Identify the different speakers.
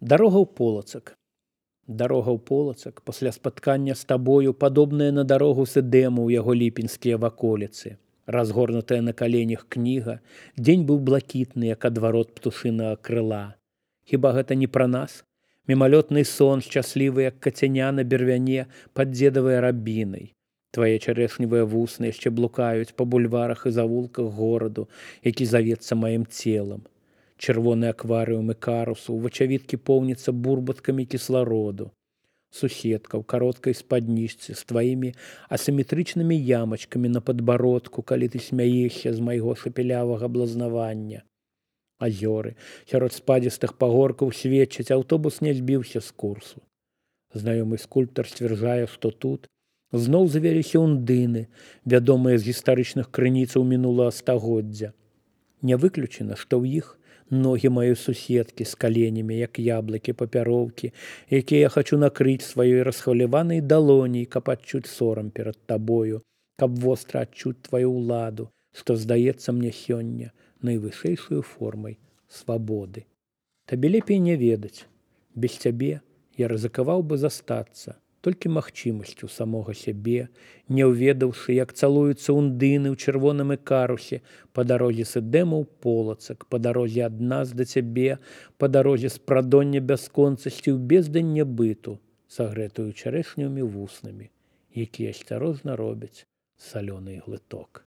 Speaker 1: Дарога ў Полацак. Дарога ў Полацак пасля спаткання з табою падобная на дарогу з Эдэму ў яго ліпеньскія ваколіцы. Разгорнутая на каленях кніга, дзень быў блакітны, як адварот птушынага крыла. Хіба гэта не пра нас? Мімалётны сон, шчаслівы, як кацяня на бервяне пад дзедавай рабінай. Твае чарэшневыя вусны яшчэ блукаюць па бульварах і завулках гораду, які завецца маім целам. Чырвоны акварыум і карусу, вачавіткі поўніцца бурбаткамі кіслароду. Суседка ў кароткай спаднічцы з тваімі асіметрычнымі ямачкамі на падбародку, калі ты смяешся з майго шапелявага блазнавання. Азёры сярод спадзістых пагоркаў сведчаць, аўтобус не збіўся з курсу. Знаёмы скульптар сцвярджае, што тут зноў завяліся ўндыны, вядомыя з гістарычных крыніцаў мінулага стагоддзя. Не выключана, што ў іх ногі маёй суседкі з каленямі, як яблыкі папяроўкі, якія я хачу накрыць сваёй расхваляванай далоняй, каб адчуць сорам перад табою, каб востра адчуць тваю ўладу, што здаецца мне сёння найвышэйшаю формай свабоды. Табе лепей не ведаць. Без цябе я рызыкаваў бы застацца толькі магчымасцю самога сябе, не ўведаўшы, як цалуюцца ўндыны ў чырвоным ікарусе па дарозе з Эдэму ў Полацак, па дарозе ад нас да цябе, па дарозе з прадоння бясконцасці ў бездань нябыту, сагрэтую чарэшнімі вуснамі, якія асцярожна робяць салёны глыток.